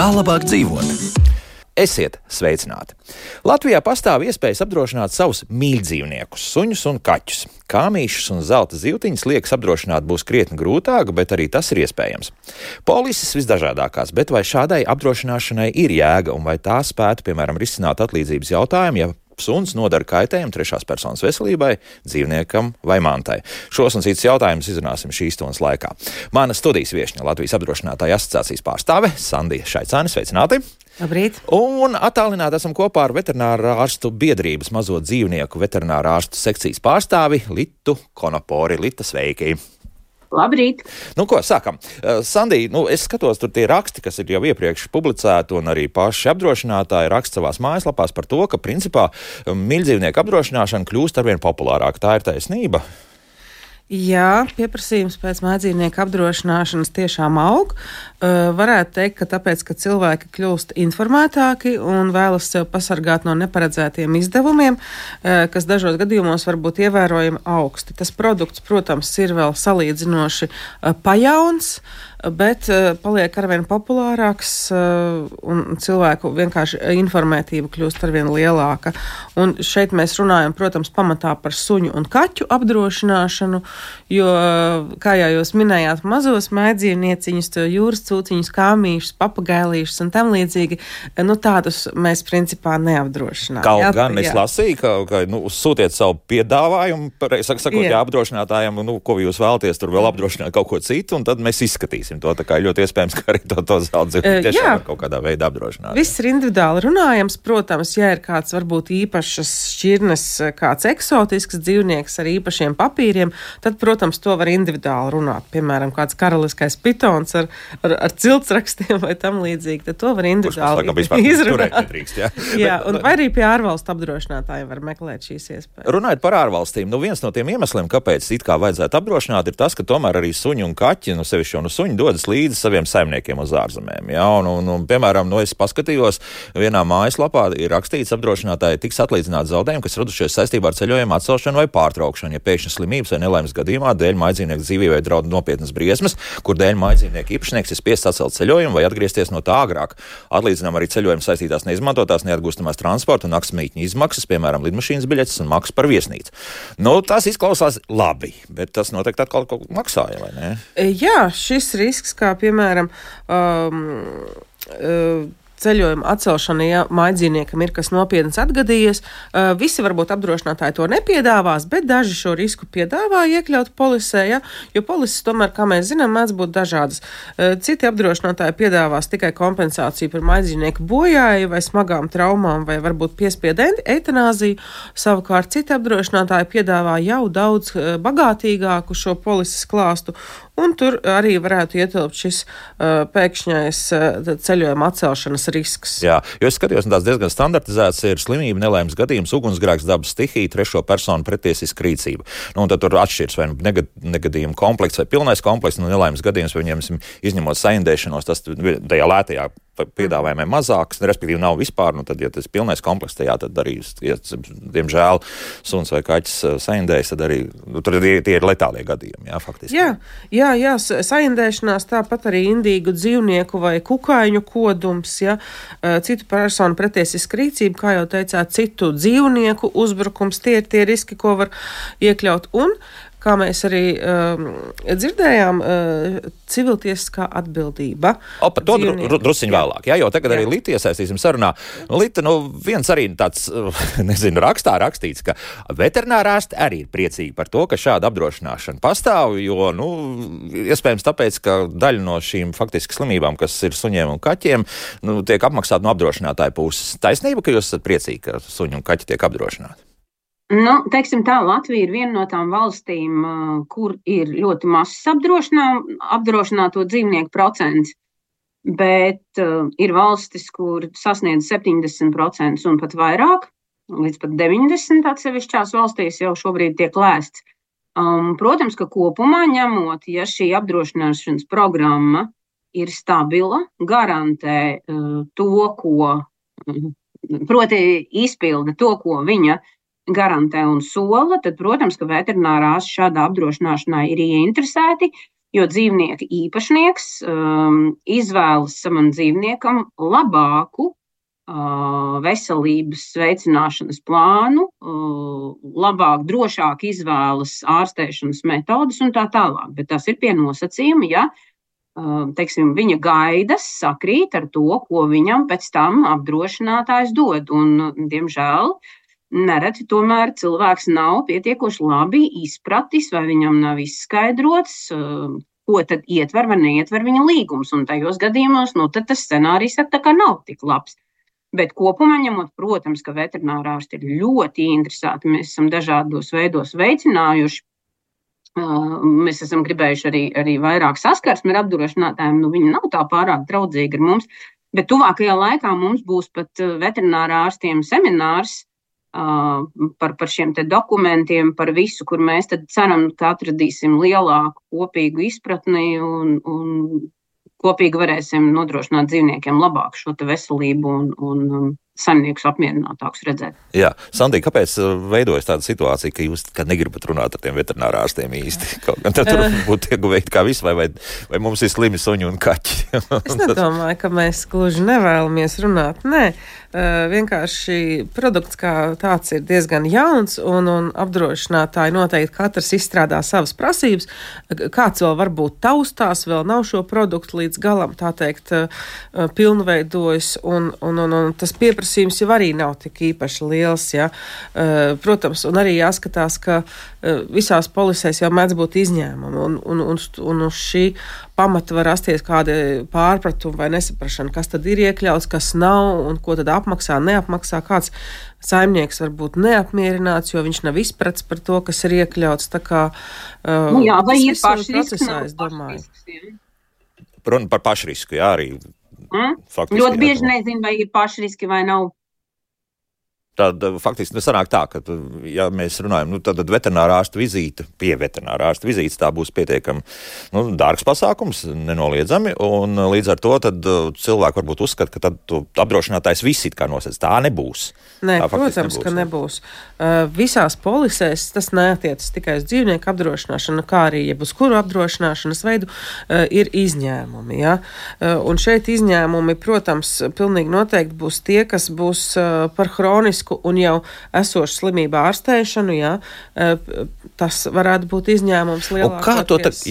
Kā labāk dzīvot? Esiet sveicināti! Latvijā pastāv iespējas apdrošināt savus mīļdzīvniekus, suņus un kaķus. Kāmīšus un zelta zivtiņas liekas apdrošināt būs krietni grūtāk, bet arī tas ir iespējams. Polises visdažādākās, bet vai šādai apdrošināšanai ir jēga un vai tā spētu, piemēram, risināt atlīdzības jautājumu, ja suns nodara kaitējumu trešās personas veselībai, dzīvniekam vai mantai? Šos un citus jautājumus izrunāsim šīs stundas laikā. Mana studijas viešņa Latvijas apdrošinātāju asociācijas pārstāve Sandija Šaicāne, sveicināti! Labrīt! Un attālināti esam kopā ar veterinārā ārstu biedrības mazo dzīvnieku veterinārā ārstu sekcijas pārstāvi Litu Konopori. Lita, sveiki! Labrīt! Ko, sākam. Sandija, es skatos, tur tie raksti, kas ir jau iepriekš publicēti, un arī paši apdrošinātāji raksta savās mājaslapās par to, ka principā mīļdzīvnieku apdrošināšana kļūst arvien populārāk. Tā ir taisnība? Jā, pieprasījums pēc mājdzīvnieku apdrošināšanas tiešām aug. Varētu teikt, ka tāpēc, ka cilvēki kļūst informētāki un vēlas sev pasargāt no neparedzētiem izdevumiem, kas dažos gadījumos var būt ievērojami augsti. Tas produkts, protams, ir vēl salīdzinoši pajauns, bet paliek arvien populārāks un cilvēku vienkārši informētība kļūst arvien lielāka. Un šeit mēs runājam, protams, pamatā par suņu un kaķu apdrošināšanu, jo, kā jau jūs minējāt, mazos mājdzīvnieciņus, jūras cūciņus, kāmīšus, papagailīšus un tam līdzīgi, tādus mēs principā neapdrošinām. Kaut gan es lasīju, ka sūtiet savu piedāvājumu, sakot, apdrošinātājiem, ko jūs vēlaties, tur vēl apdrošināt kaut ko citu, un tad mēs izskatīsim to. Tā kā ļoti iespējams, ka arī to zelta zivtiņu tiešām var kaut kādā veidā apdrošināt. Viss ir individuāli runājams. Protams, ja ir kāds varbūt īpašas šķirnes, kāds eksotisks dzīvnieks ar īpašiem papīriem, tad, protams, to var individuāli runāt. Piemēram, kāds karaliskais pitons ar ciltsrakstiem vai tam līdzīgi, tad to var individuāli izrunāt. Jā, un vai arī pie ārvalstu apdrošinātājiem var meklēt šīs iespējas. Runājot par ārvalstīm, viens no tiem iemesliem, kāpēc it kā vajadzētu apdrošināt, ir tas, ka tomēr arī suņi un kaķi, sevišķi un suņi dodas līdzi saviem saimniekiem uz ārzemēm. Ja? Un, piemēram, es paskatījos, vienā mājaslapā ir rakstīts, apdrošinātāji tiks atlīdzināti zaudējumi, kas radušies saistībā ar ceļojumu atcelšanu vai pārtraukšanu, ja pēkšņi slimības vai nelaimes gadījumā dēļ mājdzīvnieku dzīvībai draud nopietnas briesmas, kur dēļ mājdzīvnieku īpašnieks ir spiests atcelt ceļojumu vai atgriezties no tā agrāk. Atlīdzinām arī ceļojumu saistītās neizmantotās, neatgūstamās transporta un naktsmītņu izmaksas, piemēram, lidmašīnas biļetes un maksas par viesnīcu. Tas izklausās labi, bet tas noteikti atkal kaut ko maksāja, vai ne? Jā, šis risks, kā piemēram ceļojuma atcelšana, ja mājdzīvniekam ir kas nopietns atgadījies. Visi varbūt apdrošinātāji to nepiedāvās, bet daži šo risku piedāvā iekļaut polisē, ja? Jo polises tomēr, kā mēs zinām, mēdz būt dažādas. Citi apdrošinātāji piedāvās tikai kompensāciju par mājdzīvnieku bojāju vai smagām traumām vai varbūt piespiedu eitanāziju. Savukārt citi apdrošinātāji piedāvā jau daudz bagātīgāku šo polises klāstu, un tur arī varētu ietilpt šis pēkšņais ceļojuma atcelšanas risks. Jā, jo es skatījos, tās diezgan standartizēts ir slimība, nelaimes gadījums, ugunsgrēks, dabas stihija, trešo personu pretiesiska rīcība. Un tad tur atšķirs vai negadījuma komplekts vai pilnais komplekts, nelaimes gadījums, vai viņiem izņemot saindēšanos, tas tajā lētajā piedāvājumiem mazāks, respektīvi nav vispār, tad, ja tas pilnais komplekts tajā, tad arī, ja, diemžēl, suns vai kaķis saindējas, tad arī, tur tie ir letālie gadījumi, jā, faktiski. Jā, saindēšanās, tāpat arī indīgu dzīvnieku vai kukaiņu kodums, ja, citu personu pretiesiska rīcība, kā jau teicāt, citu dzīvnieku uzbrukums, tie ir tie riski, ko var iekļaut, un kā mēs arī dzirdējām, civiltiesiskā atbildība. Par to drusciņ vēlāk, jā, jo tagad arī Lita iesaistīsim sarunā. Lita, viens arī tāds, rakstā rakstīts, ka veterinārārsti arī ir priecīgi par to, ka šāda apdrošināšana pastāv, jo, iespējams tāpēc, ka daļa no šīm faktiski slimībām, kas ir suņiem un kaķiem, tiek apmaksāta no apdrošinātāja puses. Taisnība, ka jūs esat priecīgi, ka suņi un kaķi tiek apdrošināti? Teiksim tā, Latvija ir viena no tām valstīm, kur ir ļoti mazs apdrošināto dzīvnieku procents, bet ir valstis, kur sasniedz 70% un pat vairāk, līdz pat 90% atsevišķās valstīs jau šobrīd tiek lēsts. Protams, ka kopumā ņemot, ja šī apdrošināšanas programma ir stabila, garantē to, proti izpilda to, ko viņa garantē un sola, tad, protams, ka veterinārās šādā apdrošināšanā ir ieinteresēti, jo dzīvnieka īpašnieks izvēlas savam dzīvniekam labāku veselības veicināšanas plānu, labāk, drošāk izvēlas ārstēšanas metodas un tā tālāk. Bet tas ir pie nosacījuma, ja teiksim, viņa gaidas sakrīt ar to, ko viņam pēc tam apdrošinātājs dod. Un, diemžēl, nereti tomēr cilvēks nav pietiekoši labi izpratis, vai viņam nav izskaidrots, ko tad ietver vai neietver viņa līgums. Un tajos gadījumos, tad tas scenārijs tā kā nav tik labs. Bet kopumā ņemot, protams, ka veterinārārsti ir ļoti interesēti. Mēs esam dažādos veidos veicinājuši. Mēs esam gribējuši arī vairāk saskarsmi ar apdrošinātājiem. Viņi nav tā pārāk draudzīgi ar mums. Bet tuvākajā laikā mums būs pat veterinārārstiem seminārs par šiem te dokumentiem, par visu, kur mēs tad ceram, ka atradīsim lielāku kopīgu izpratni un kopīgi varēsim nodrošināt dzīvniekiem labāku šo te veselību un saimniekus apmierinātākus redzēt. Jā, Sandī, kāpēc veidojas tāda situācija, ka jūs negribat runāt ar tiem veterinārārstiem īsti? Kaut gan tad tur būtu ieguvēji kā visi, vai mums ir slimi suņi un kaķi? Es nedomāju, ka mēs gluži nevēlamies runāt. Nē, vienkārši produkts kā tāds ir diezgan jauns un apdrošinātāji noteikti katrs izstrādā savas prasības. Kāds vēl varbūt taustās, vēl nav šo produktu līdz galam, tā teikt, pilnveidojas un tas pieprasījums jau arī nav tik īpaši liels, ja. Protams, un arī jāskatās, ka visās polisēs jau mēdz būt izņēmumi un uz šī pamata var rasties kādi pārpratumi vai nesaprašana, kas tad ir iekļauts, kas nav un ko tad apmaksā, neapmaksā. Kāds saimnieks var būt neapmierināts, jo viņš nav izprats par to, kas ir iekļauts. Tā kā jā, vai ir pašrisks, es domāju. Runa par pašrisku, jā, arī. Faktiski, ļoti bieži nezinu, vai ir pašriski vai nav. Tad faktiski sanāk tā, ka, ja mēs runājam, tad veterinārārsta vizīte, pie veterinārārsta vizītes tā būs pietiekami dārgs pasākums, nenoliedzami, un līdz ar to tad cilvēki varbūt uzskata, ka tad apdrošinātājs viss it kā nosēc. Tā nebūs. Nē, tā protams, ka nebūs. Visās polisēs tas neatiecas tikai uz dzīvnieku apdrošināšanu, kā arī jeb uz kuru apdrošināšanas veidu ir izņēmumi. Ja? Un šeit izņēmumi, protams, pilnīgi noteikti būs tie, kas būs par hronisku un jau esošu slimību ārstēšanu, jā, tas varētu būt izņēmums lielākoties.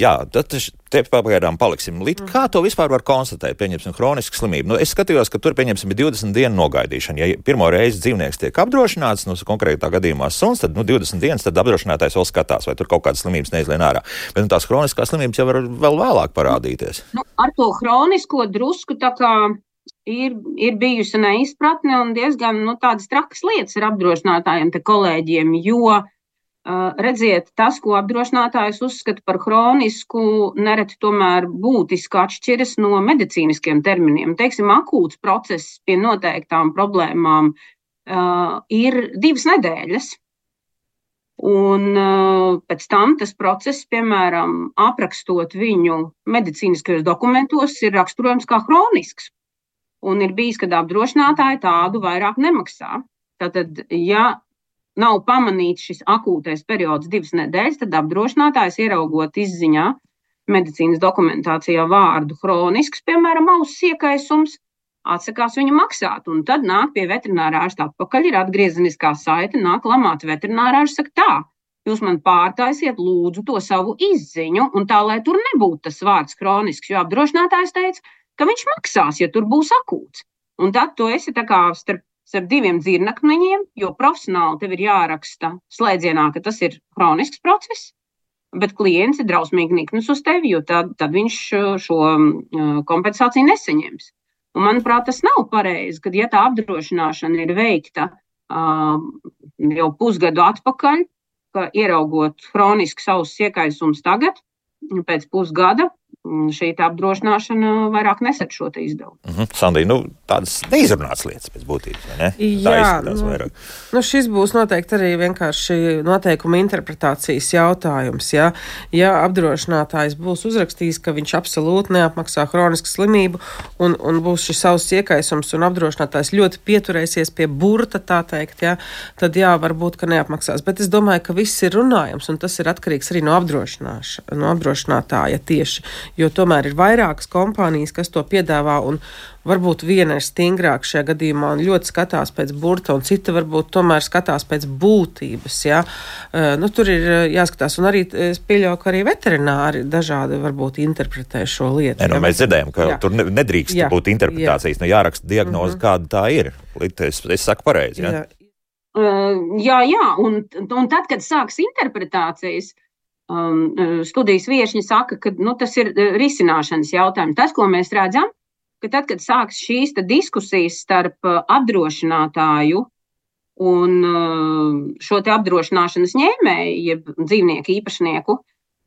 Te pagaidām paliksim līdz. Kā to vispār var konstatēt, pieņemsim, hronisku slimību? Es skatījos, ka tur, pieņemsim, ir 20 dienu nogaidīšana. Ja pirmo reizi dzīvnieks tiek apdrošināts, konkrētā gadījumā suns, tad 20 dienas, tad apdrošinātājs vēl skatās, vai tur kaut kādas slimības neizlien ārā. Bet tās hroniskās slimības jau var vēl vēlāk parādīties. Ar to hronisko drusku tā kā ir bijusi neizpratne un diezgan tādas trakas lietas ar apdrošinātājiem te kolēģiem, jo redziet, tas, ko apdrošinātājs uzskata par hronisku, nereti tomēr būtiski atšķiras no medicīniskiem terminiem. Teiksim, akūts process pie noteiktām problēmām ir 2 nedēļas. Un pēc tam tas process, piemēram, aprakstot viņu medicīniskajos dokumentos, ir raksturojams kā hronisks. Un ir bijis, kad apdrošinātāji tādu vairāk nemaksā. Tātad, ja nav pamanīts šis akūtais periods 2 nedēļas, tad apdrošinātājs ieraugot izziņā medicīnas dokumentācijā vārdu hronisks, piemēram, auss iekaisums, atsakās viņu maksāt. Un tad nāk pie veterinārārsta atpakaļ, ir atgriezeniskā saite, nāk lamāt veterinārārsts, saka tā, jūs man pārtaisiet lūdzu to savu izziņu, un tā, lai tur nebūtu tas vārds hronisks, jo apdrošinātājs teica, ka viņš maksās, ja tur būs akūts. Un tad tu esi tā kā starp 2 dzirnakmeņiem, jo profesionāli tev ir jāraksta slēdzienā, ka tas ir hronisks process, bet klients ir drausmīgi niknus uz tevi, jo tad viņš šo kompensāciju nesaņems. Un, manuprāt, tas nav pareizi, kad ja tā apdrošināšana ir veikta jau pusgadu atpakaļ, ka ieraugot hronisks auss iekaisums tagad, pēc pusgada, šī apdrošināšana vairāk nesat šo te izdevumu. Sandija, tādas neizrunātas lietas pēc būtības, vai ne? Jā, šis būs noteikti arī vienkārši noteikuma interpretācijas jautājums. Ja apdrošinātājs būs uzrakstījis, ka viņš absolūti neapmaksā hronisku slimību un būs šis savs iekaisums un apdrošinātājs ļoti pieturēsies pie burta, tā teikt, tad varbūt, ka neapmaksās. Bet es domāju, ka viss ir runājams un tas ir atkarīgs arī no apdrošinātāja tieši. Jo tomēr ir vairākas kompānijas, kas to piedāvā, un varbūt viena ir stingrāka šajā gadījumā un ļoti skatās pēc burta, un cita varbūt tomēr skatās pēc būtības. Tur ir jāskatās, un arī es pieļauju, ka arī veterināri dažādi varbūt interpretē šo lietu. Mēs dzirdējam, ka tur nedrīkst būt interpretācijas, jāraksta diagnoze, kāda tā ir. Es saku pareizi, Jā, un tad, kad sāks interpretācijas, studijas viešņi saka, ka tas ir risināšanas jautājums. Tas, ko mēs redzam, ka tad, kad sāks šīs diskusijas starp apdrošinātāju un šo te apdrošināšanas ņēmēju, jeb dzīvnieku īpašnieku,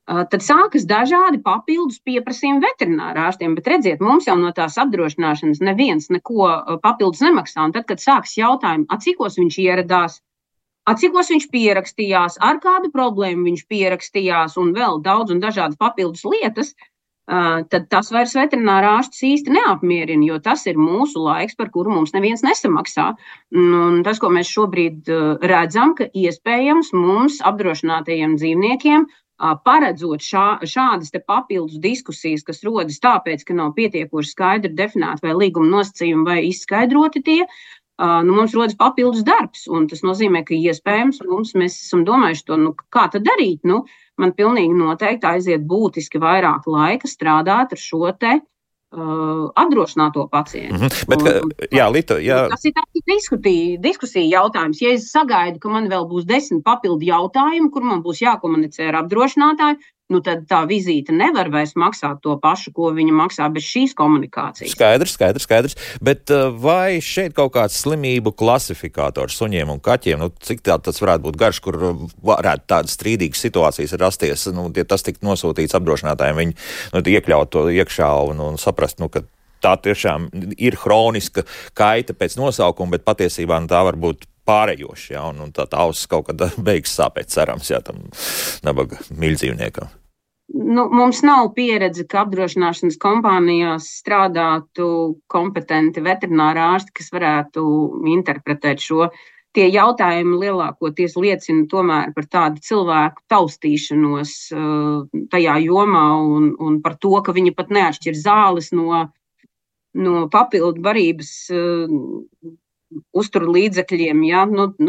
tad sākas dažādi papildus pieprasījumi veterinārārstiem. Bet redziet, mums jau no tās apdrošināšanas neviens neko papildus nemaksā. Un tad, kad sāks jautājumi, cikos viņš ieradās, cikos viņš pierakstījās, ar kādu problēmu viņš pierakstījās un vēl daudz un dažādas papildus lietas, tad tas vairs veterinārā ārstus īsti neapmierina, jo tas ir mūsu laiks, par kuru mums neviens nesamaksā. Un tas, ko mēs šobrīd redzam, ka iespējams mums apdrošinātajiem dzīvniekiem paredzot šādas te papildus diskusijas, kas rodas tāpēc, ka nav pietiekoši skaidri definēti vai līguma nosacījumi vai izskaidroti tie, mums rodas papildus darbs, un tas nozīmē, ka iespējams mēs esam domājuši to, kā tad darīt. Man pilnīgi noteikti aiziet būtiski vairāk laika strādāt ar šo te apdrošināto pacientu. Tas ir tāds diskusija jautājums. Ja es sagaidu, ka man vēl būs 10 papildu jautājumu, kur man būs jākomunicē ar apdrošinātāju, tad tā vizīte nevar vairs maksāt to pašu, ko viņa maksā bez šīs komunikācijas. Skaidrs. Bet vai šeit kaut kāds slimību klasifikators suņiem un kaķiem, cik tas varētu būt garš, kur varētu tādas strīdīgas situācijas rasties, ja tas tiktu nosūtīts apdrošinātājiem, viņi iekļaut to iekšā un saprast, ka tā tiešām ir hroniska kaita pēc nosaukuma, bet patiesībā tā var būt pārējoši, un tā auss kaut kad beigas sāpēt, cerams, tam nabaga mīļdzīvniekam. Mums nav pieredze, ka apdrošināšanas kompānijās strādātu kompetenti veterinārā ārsti, kas varētu interpretēt šo. Tie jautājumi lielākoties liecina tomēr par tādu cilvēku taustīšanos tajā jomā un par to, ka viņi pat neatšķir zāles no papildu barības uzturu līdzekļiem,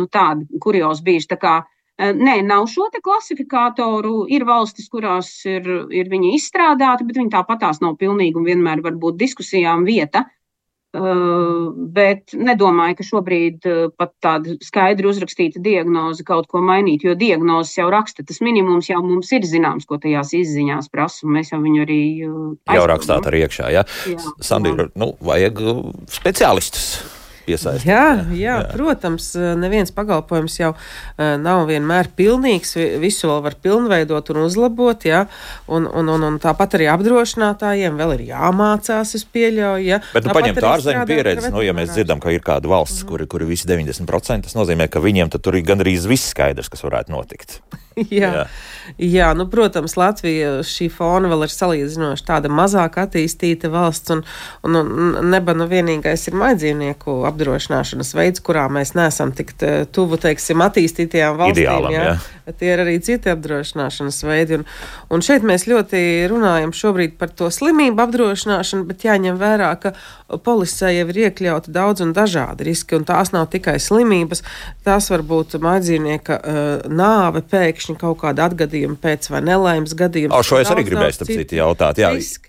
tādi kuriozi bijuši. Tā kā, nav šo te klasifikātoru, ir valstis, kurās ir viņi izstrādāti, bet viņi tāpatās nav pilnīgi un vienmēr var būt diskusijām vieta. Bet nedomāju, ka šobrīd pat tāda skaidri uzrakstīta diagnoze kaut ko mainīt, jo diagnozes jau raksta, tas minimums jau mums ir zināms, ko tajās izziņās prasa, un mēs jau viņu arī jau rakstāt arī iekšā, Sandra, vajag speciālistus piesaistīt. Jā, protams, neviens pakalpojums jau nav vienmēr pilnīgs, visu vēl var pilnveidot un uzlabot, un tāpat arī apdrošinātājiem vēl ir jāmācās, es pieļauju, Bet paņemt ārzemju pieredzi, ja mēs dzirdam, ka ir kāda valsts, kuri visi 90%, tas nozīmē, ka viņiem tad tur ir gandrīz viss skaidrs, kas varētu notikt. Jā, protams, Latvija šī fona vēl ir salīdzinoši tāda mazāk attīstīta valsts, un neba vienīgais ir maidzīvnieku apdrošināšanas veids, kurā mēs neesam tik tuvu, teiksim, attīstītajām valstīm. Ideālam, Tie ir arī citi apdrošināšanas veidi, un šeit mēs ļoti runājam šobrīd par to slimību apdrošināšanu, bet jāņem vērā, ka polisē jau ir iekļauti daudz un dažādi riski, un tās nav tikai slimības, tās var būt maidzīvnieka nāve pēkšņi kaut kāda atgadījuma pēc vai nelaimes gadījuma. Šo es arī gribēju starp citu jautāt,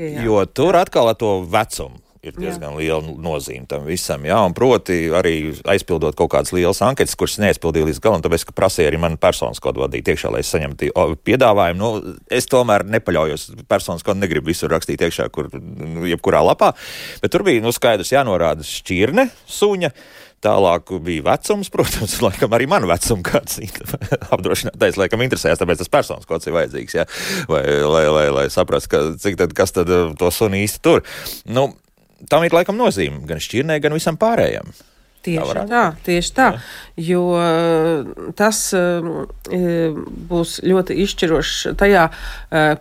jo tur atkal ar to vecumu. ir diezgan liela nozīme tam visam, jā, un proti arī aizpildot kaut kādas lielas anketas, kuras neaizpildīja līdz galam, tāpēc, ka prasīja arī man personas kodu vadīt iekšā, lai es saņemtu piedāvājumu. Nu, es tomēr nepaļaujos, personas kodu negribu visur rakstīt iekšā, jebkurā lapā, bet tur bija, skaidrs jānorāda šķirne, suņa, tālāk bija vecums, protams, laikam arī man vecumu kāds apdrošinātais, laikam interesējās, tāpēc tas personas kods ir vajadzīgs, jā, lai saprastu, kas tad to suni īsti tur. Nu, tam ir laikam nozīme gan šķirnē, gan visam pārējiem. Tieši tā, jo tas būs ļoti izšķirošs tajā,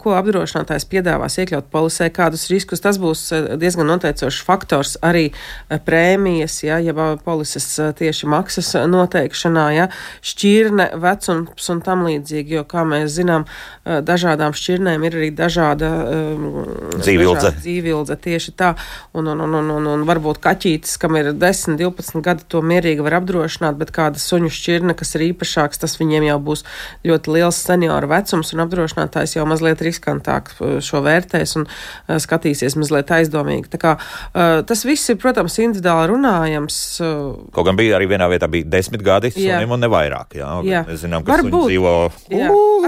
ko apdrošinātājs piedāvās iekļaut polisē, kādus riskus. Tas būs diezgan noteicošs faktors arī prēmijas, ja polises tieši maksas noteikšanā, ja, šķirne, vecums un tam līdzīgi, jo, kā mēs zinām, dažādām šķirnēm ir arī dažāda dzīvildze, tieši tā, un varbūt kaķītis, kam ir 10, 12 gadi, to mierīgi var apdrošināt, bet kāda suņu šķirne, kas ir īpašāks, tas viņiem jau būs ļoti liels senioru vecums, un apdrošinātājs jau mazliet riskantāk šo vērtēs un skatīsies mazliet aizdomīgi. Tā kā tas viss ir, protams, individuāli runājams. Kaut gan bija arī vienā vietā bija 10 gadi sunim un ne vairāk, jā. Mēs zinām, ka suņi dzīvo...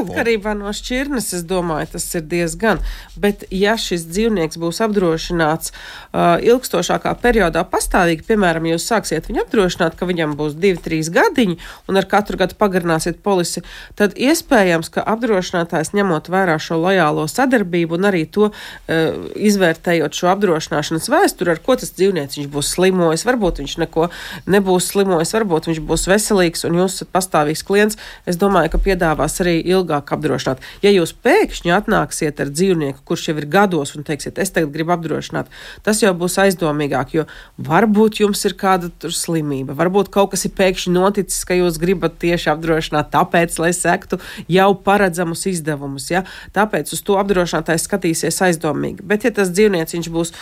Atkarībā no šķirnes, es domāju, tas ir diezgan. Bet ja šis dzīvnieks būs apdrošināts ilgstošākā periodā pastāvīgi, piemēram, jūs sāksiet viņu apdrošināt, ka viņam būs 2-3 gadiņi un ar katru gadu pagarināsiet polisi, tad iespējams, ka apdrošinātājs ņemot vērā šo lojālo sadarbību un arī to izvērtējot šo apdrošināšanas vēsturi, ar ko tas dzīvnieks viņš būs slimojis, varbūt viņš neko nebūs slimojis, varbūt viņš būs veselīgs un jūs esat pastāvīgs klients, es domāju, ka piedāvās arī ilgāk apdrošināt. Ja jūs pēkšņi atnāksiet ar dzīvnieku, kurš jau ir gados un teiksiet, es tagad gribu apdrošināt, tas jau būs aizdomīgāk, jo varbūt jums ir kāda slimība. Varbūt kaut kas ir pēkšņi noticis, ka jūs gribat tieši apdrošināt tāpēc, lai sektu jau paredzamus izdevumus. Ja? Tāpēc uz to apdrošinātājs skatīsies aizdomīgi. Bet ja tas dzīvnieks viņš būs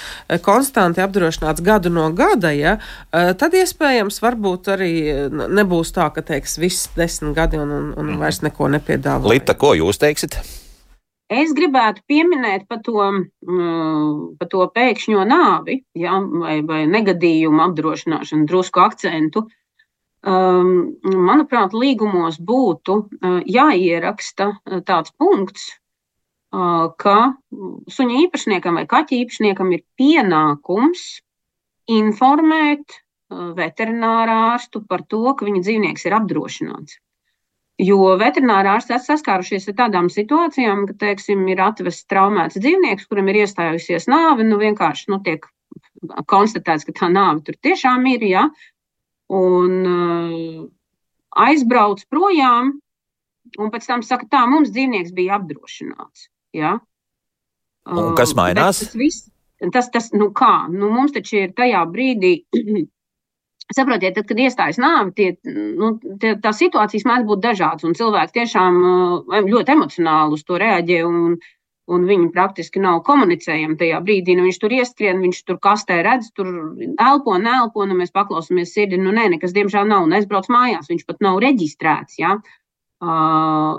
konstanti apdrošināts gadu no gada, ja, tad iespējams varbūt arī nebūs tā, ka teiks viss 10 gadi un vairs neko nepiedāvā. Lita, ko jūs teiksit? Es gribētu pieminēt par to pēkšņo nāvi, ja, vai negadījumu apdrošināšanu, drusku akcentu. Manuprāt, līgumos būtu jāieraksta tāds punkts, ka suņa īpašniekam vai kaķa īpašniekam ir pienākums informēt veterinārārstu par to, ka viņa dzīvnieks ir apdrošināts. Jo veterinārārsti saskārušies ar tādām situācijām, ka, teiksim, ir atvests traumēts dzīvnieks, kuram ir iestājusies nāve, vienkārši tiek konstatēts, ka tā nāve tur tiešām ir, ja, un aizbrauc projām, un pēc tam saka, tā, mums dzīvnieks bija apdrošināts, ja. Un kas mainās? Mums taču ir tajā brīdī... Saprotiet, tad, kad iestājas nāve, tās situācijas mēdz būt dažādas, un cilvēki tiešām ļoti emocionāli uz to reaģē, un viņi praktiski nav komunicējami tajā brīdī. Viņš tur ieskrien, viņš tur kastē redz, tur elpo, mēs paklausāmies sirdi, nekas diemžēl nav, un aizbrauc mājās, viņš pat nav reģistrēts, ja.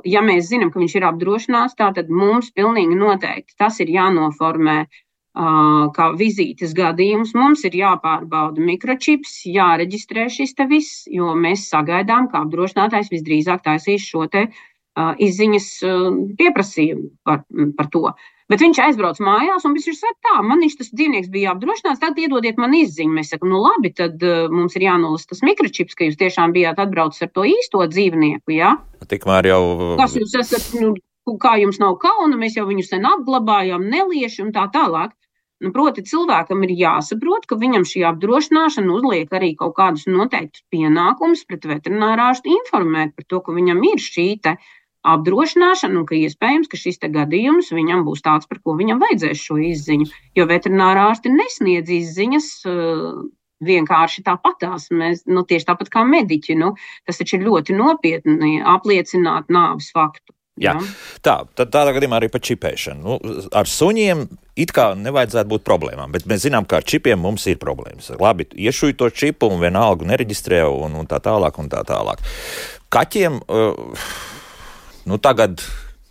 Ja mēs zinām, ka viņš ir apdrošināts, tātad mums pilnīgi noteikti tas ir jānoformē kā vizītes gadījums, mums ir jāpārbauda mikročips, jāreģistrē šis te viss, jo mēs sagaidām, ka apdrošinātājs visdrīzāk taisīs šo te izziņas pieprasījumu par to. Bet viņš aizbrauc mājās un viņš saka, tā, man tas dzīvnieks bija apdrošināts, tad iedodiet man izziņu. Mēs sakam, labi, tad mums ir jānolasa tas mikročips, ka jūs tiešām bijāt atbraucis ar to īsto dzīvnieku, jā? Tikmēr jau... Kas jūs esat, kā jums nav kauna, mēs jau viņu sen apglabājām, nelieši un tā tālāk. Proti, cilvēkam ir jāsaprot, ka viņam šī apdrošināšana uzliek arī kaut kādus noteiktus pienākumus pret veterinārārstu informēt par to, ka viņam ir šī te apdrošināšana un ka iespējams, ka šis te gadījums viņam būs tāds, par ko viņam vajadzēs šo izziņu. Jo veterinārārsti nesniedz izziņas vienkārši tāpatās. Mēs, tieši tāpat kā mediķi, tas taču ir ļoti nopietni apliecināt nāves faktu. Jā. Tādā gadījumā arī par čipēšanu. Ar suņiem it kā nevajadzētu būt problēmām, bet mēs zinām, ka ar čipiem mums ir problēmas. Labi, iešuj to čipu un vienalga nereģistrē un tā tālāk un tā tālāk. Kaķiem, tagad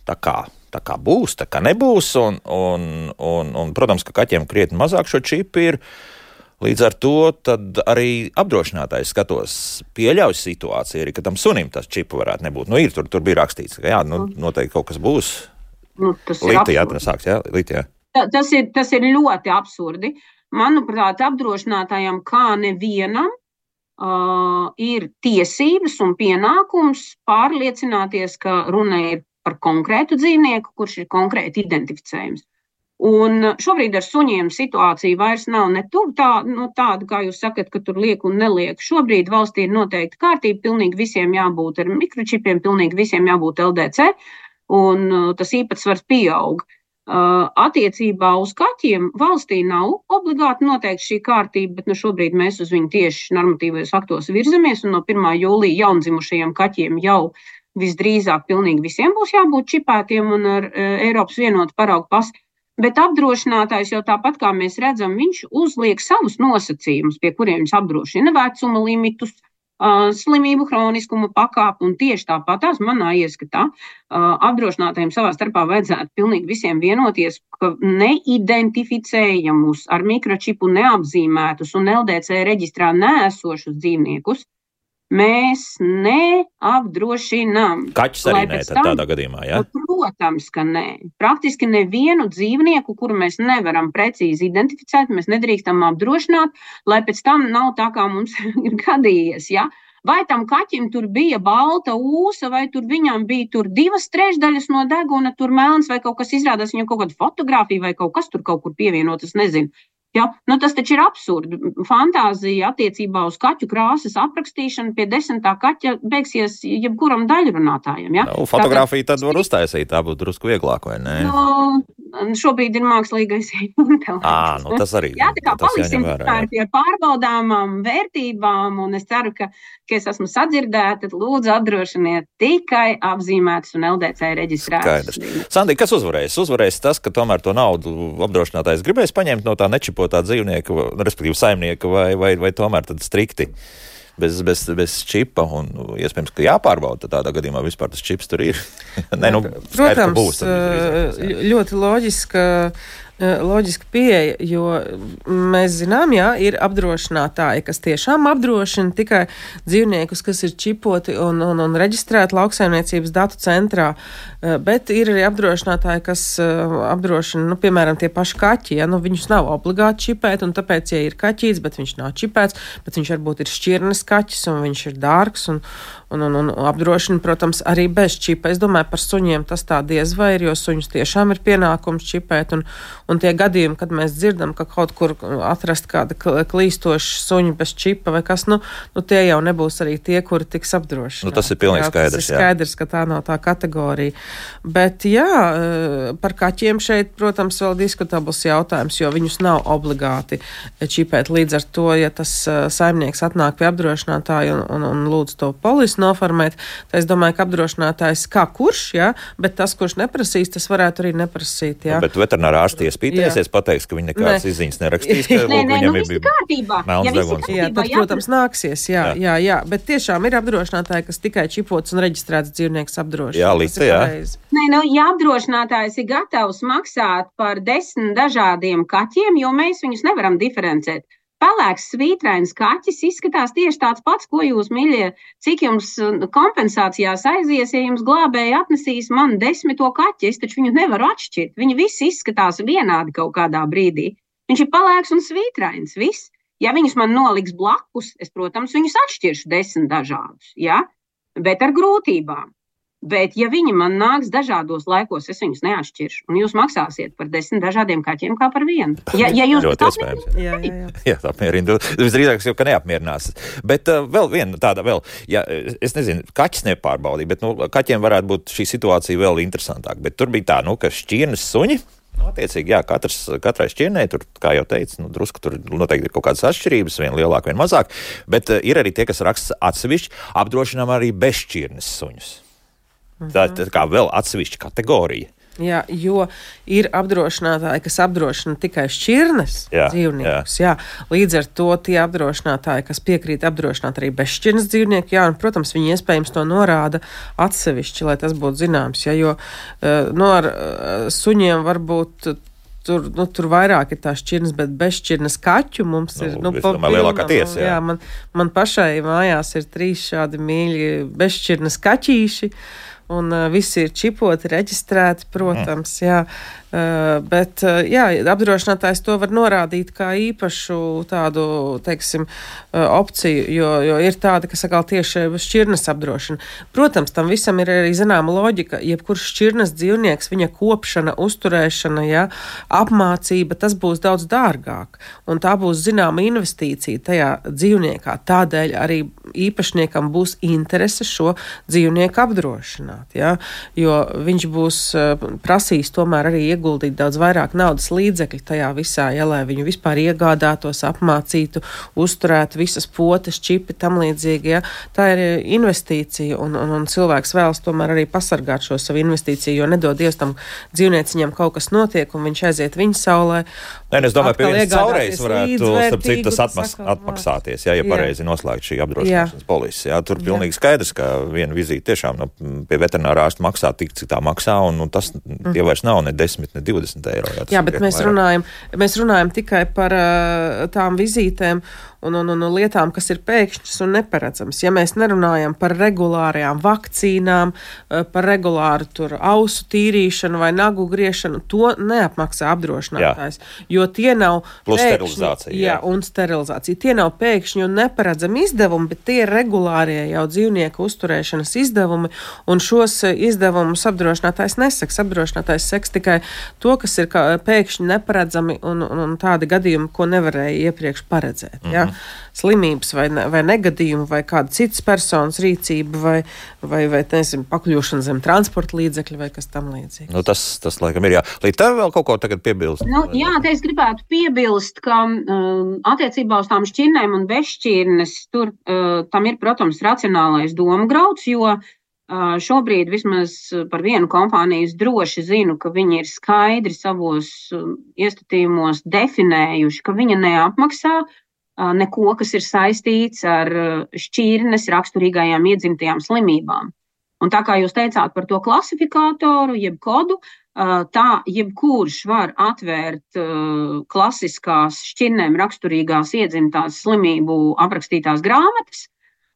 tā kā tā kā būs, tā kā nebūs, un protams, ka kaķiem krietni mazāk šo čipu ir. Līdz ar to tad arī apdrošinātājs skatos pieļauj situāciju, arī, ka tam sunim tas čipu varētu nebūt. Nu, ir, tur bija rakstīts, ka jā, nu, noteikti kaut kas būs. Līti, jā, tas sāks, jā, līti, jā. Tas ir ļoti absurdi. Manuprāt, apdrošinātājam kā nevienam ir tiesības un pienākums pārliecināties, ka runa ir par konkrētu dzīvnieku, kurš ir konkrēti identificējums. Un šobrīd ar suņiem situācija vairs nav ne tuvu tāda, kā jūs sakat, ka tur liek un neliek. Šobrīd valstī ir noteikta kārtība, pilnīgi visiem jābūt ar mikročipiem, pilnīgi visiem jābūt LDC, un tas īpatsvars pieaug. Attiecībā uz kaķiem valstī nav obligāti noteikti šī kārtība, bet šobrīd mēs uz viņu tieši normatīvajos aktos virzamies, un no 1. jūlija jaundzimušajiem kaķiem jau visdrīzāk pilnīgi visiem būs jābūt čipētiem un ar Eiropas vienotu paraugu pasi. Bet apdrošinātājs jau tāpat, kā mēs redzam, viņš uzliek savus nosacījumus, pie kuriem viņš apdrošina vecuma limitus, slimību hroniskuma pakāpi, un tieši tāpatās manā ieskatā apdrošinātājiem savā starpā vajadzētu pilnīgi visiem vienoties, ka neidentificējamus ar mikročipu neapzīmētus un LDC reģistrā neesošus dzīvniekus mēs neapdrošinām. Kaķis arī nē, tādā gadījumā, jā? Protams, ka nē. Praktiski nevienu dzīvnieku, kuru mēs nevaram precīzi identificēt, mēs nedrīkstam apdrošināt, lai pēc tam nav tā, kā mums ir gadījies, jā? Vai tam kaķim tur bija balta ūsa, vai tur viņam bija tur 2/3 no deguna, tur melns, vai kaut kas izrādās, viņam kaut kāda fotografija, vai kaut kas tur kaut kur pievienot, es nezinu. Ja? Tas taču ir absurdi. Fantāzija attiecībā uz kaķu krāsas aprakstīšanu pie 10. kaķa beigsies jebkuram daļrunātājam. Ja? Fotografiju tad var uztaisīt, tā būtu drusku vieglāk, vai ne? Šobrīd ir mākslīgais intelekts. Tas arī. Jā, tā kā paliksim pie pārbaudāmām vērtībām, un es ceru, ka es esmu sadzirdēta, tad lūdzu apdrošiniet tikai apzīmētas un LDC reģistrētas. Skaidrs. Sandī, kas uzvarēs? Uzvarēs tas, ka tomēr to naudu apdrošinātājs gribēs paņemt no tā nečipotā dzīvnieka, respektīvi saimnieka, vai tomēr tad strikti bez čipa, un iespējams, ka jāpārbauda tādā gadījumā vispār tas čips tur ir. Protams, būs, ļoti loģiska pieeja, jo mēs zinām, jā, ir apdrošinātāji, kas tiešām apdrošina tikai dzīvniekus, kas ir čipoti un reģistrēti lauksaimniecības datu centrā, bet ir arī apdrošinātāji, kas apdrošina, piemēram, tie paši kaķi, ja, viņus nav obligāti čipēt, un tāpēc, ja ir kaķīts, bet viņš nav čipēts, bet viņš varbūt ir šķirnes kaķis, un viņš ir dārgs, un apdrošina, protams, arī bez čipa. Es domāju, par suņiem tas tā diez vai ir, jo suņus tiešām ir pienākums čipēt, un tie gadījumi, kad mēs dzirdam, ka kaut kur atrast kāda klīstoša suņa bez čipa vai kas, tie jau nebūs arī tie, kuri tiks apdrošināti. Tas ir pilnīgi skaidrs. Tas ir skaidrs, ka tā nav tā kategorija. Bet jā, par kaķiem šeit, protams, vēl diskutabls jautājums, jo viņus nav obligāti čipēt. Līdz ar to, ja tas saimnieks atnāk pie apdrošinātāja un lūdz to polisi noformēt, tad es domāju, ka apdrošinātājs kā kurš, jā, bet tas, kurš neprasīs, tas varētu arī neprasīt, jā. Bet veterinārā ārsti iespītēsies, pateiks, ka viņi nekādas izziņas nerakstīs, ka viņam ir melns deguns. Jā, tad, protams, nāksies, jā, bet tiešām ir apdrošinātāji, kas tikai čipots un reģistrēts dzīvnieks apdrošina. Jā, līdz jā. Ja apdrošinātājs ir gatavs maksāt par 10 dažādiem kaķiem, jo mēs viņus nevaram diferencēt. Pelēks svītrains kaķis izskatās tieši tāds pats, ko jūs, mīļie, cik jums kompensācijās aizies, ja jums glābēji atnesīs man 10. kaķi, es taču viņu nevaru atšķirt. Viņi visi izskatās vienādi kaut kādā brīdī. Viņš ir pelēks un svītrains, viss. Ja viņus man noliks blakus, es, protams, viņus atšķiršu 10 dažādus, ja? Bet ar grūtībām. Bet, ja viņi man nāks dažādos laikos, es viņus neatšķiršu, un jūs maksāsiet par 10 dažādiem kaķiem kā par vienu. Ja jūs ļoti iespējams. Jā, apmierina. Visdrīzāk jau, ka neapmierinās. Bet vēl viena tāda ja, es nezinu, kaķis nepārbaudīja, bet kaķiem varētu būt šī situācija vēl interesantāk. Bet tur bija tā, ka šķirnes suņi, attiecīgi, jā, katrai šķirnei, tur, kā jau teicu, drusku tur noteikti ir kaut kādas atšķirības, viena lielāka, viena mazāk, bet ir arī tie, kas raksta atsevišķi, apdrošinām arī bezšķirnes suņus. Tā kā vēl atsevišķa kategorija. Jā, jo ir apdrošinātāji, kas apdrošina tikai šķirnes dzīvniekus. Jā. Līdz ar to tie apdrošinātāji, kas piekrīt apdrošināt arī bezšķirnes dzīvnieku, jā, un, protams, viņi iespējams to norāda atsevišķi, lai tas būtu zināms. Jā, jo ar suņiem varbūt tur vairāk ir tā šķirnes, bet bezšķirnes kaķu mums ir. Lielākā tiesa. Jā, man pašai mājās ir 3 šādi mīļi bezšķirnes kaķīši. Un visi ir čipoti, reģistrēti, protams, jā. Bet, jā, apdrošinātājs to var norādīt kā īpašu tādu, teiksim, opciju, jo ir tāda, kas atkal tieši šķirnes apdrošina. Protams, tam visam ir arī zināma loģika. Jebkurš šķirnes dzīvnieks, viņa kopšana, uzturēšana, jā, apmācība, tas būs daudz dārgāk. Un tā būs zināma investīcija tajā dzīvniekā. Tādēļ arī īpašniekam būs interese šo dzīvnieku apdrošināt, jā, jo viņš būs prasījis tomēr arī ieguldīt daudz vairāk naudas līdzekļu tajā visā, ja, lai viņu vispār iegādātos, apmācītu, uzturētu visas potes, čipi, tam līdzīgi. Ja. Tā ir investīcija, un cilvēks vēlas tomēr arī pasargāt šo savu investīciju, jo nedod Dievs tam dzīvnieciņam kaut kas notiek, un viņš aiziet viņa saulē. Nē, es domāju, pie vienas caurējas varētu, starp citu, tas atmaksāties, ja pareizi noslēgt šī apdrošināšanas polisi. Ja. Tur pilnīgi skaidrs, ka viena vizīte tiešām pie veterinārā ārsta maksā tik, cik tā maksā, un tas tie vairs nav ne 10, ne 20 eiro. Jā, bet mēs runājam tikai par tām vizītēm un lietām, kas ir pēkšņas un neparedzamas. Ja mēs nerunājam par regulārajām vakcīnām, par regulāru ausu tīrīšanu vai nagu griešanu, to neapmaksā apdrošinātājs, jo tie nav plus sterilizācija. Jā, un sterilizācija. Tie nav pēkšņi un neparedzami izdevumi, bet tie ir regulārie jau dzīvnieku uzturēšanas izdevumi, un šos izdevumus apdrošinātājs neseks. Apdrošinātājs seks tikai to, kas ir pēkšņi neparedzami un tādi gadījumi, ko nevarēja iepriekš paredzēt. Ja? Slimības vai negadījumi vai kāda citas personas rīcība vai nezinu, pakļūšana zem transporta līdzekļa vai kas tam līdzīgs. Tas laikam ir, jā. Līdz tev vēl kaut ko tagad piebilst? Jā, te es gribētu piebilst, ka attiecībā uz tām šķirnēm un bezšķirnes tur tam ir, protams, racionālais domu grauds, jo šobrīd vismaz par vienu kompāniju droši zinu, ka viņi ir skaidri savos iestatījumos definējuši, ka viņa neapmaksā neko, kas ir saistīts ar šķirnes raksturīgajām iedzimtajām slimībām. Un tā kā jūs teicāt par to klasifikātoru, jeb kodu, tā jebkurš var atvērt klasiskās šķirnēm raksturīgās iedzimtās slimību aprakstītās grāmatas,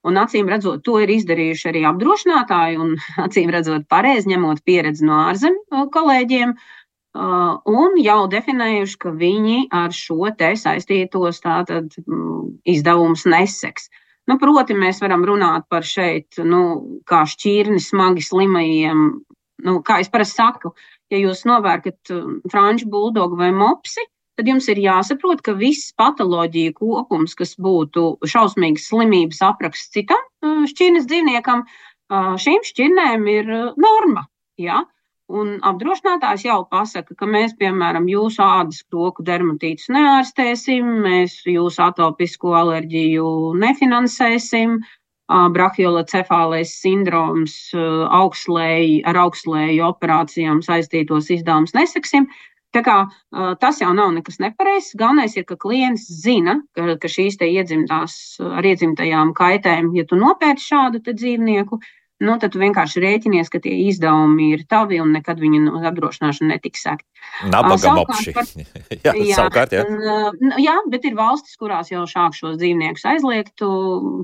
un acīm redzot, to ir izdarījuši arī apdrošinātāji, un acīm redzot pareizi ņemot pieredzi no ārzemju kolēģiem, un jau definējuši, ka viņi ar šo te saistītos tātad izdevumus neseks. Proti, mēs varam runāt par šeit, kā šķirni smagi slimajiem, kā es parasti saku, ja jūs novērkat franču buldogu vai mopsi, tad jums ir jāsaprot, ka viss patoloģija kopums, kas būtu šausmīgas slimības apraksts citam šķirnes dzīvniekam, šīm šķirnēm ir norma, jā. Un apdrošinātājs jau pasaka, ka mēs, piemēram, jūsu ādas kroku dermatītus neārstēsim, mēs jūsu atopisko alerģiju nefinansēsim, brahiolocefālais sindroms ar augslēju operācijām saistītos izdevumus neseksim. Tā kā tas jau nav nekas nepareizs. Galvenais ir, ka klients zina, ka šīs te ar iedzimtajām kaitēm, ja tu nopērci šādu te dzīvnieku, tad tu vienkārši rēķinies, ka tie izdevumi ir tavi un nekad viņi no apdrošināšana netiks sekti. Nabaga mopši. Savukārt, jā. Jā, bet ir valstis, kurās jau šāk šos dzīvniekus aizliegtu,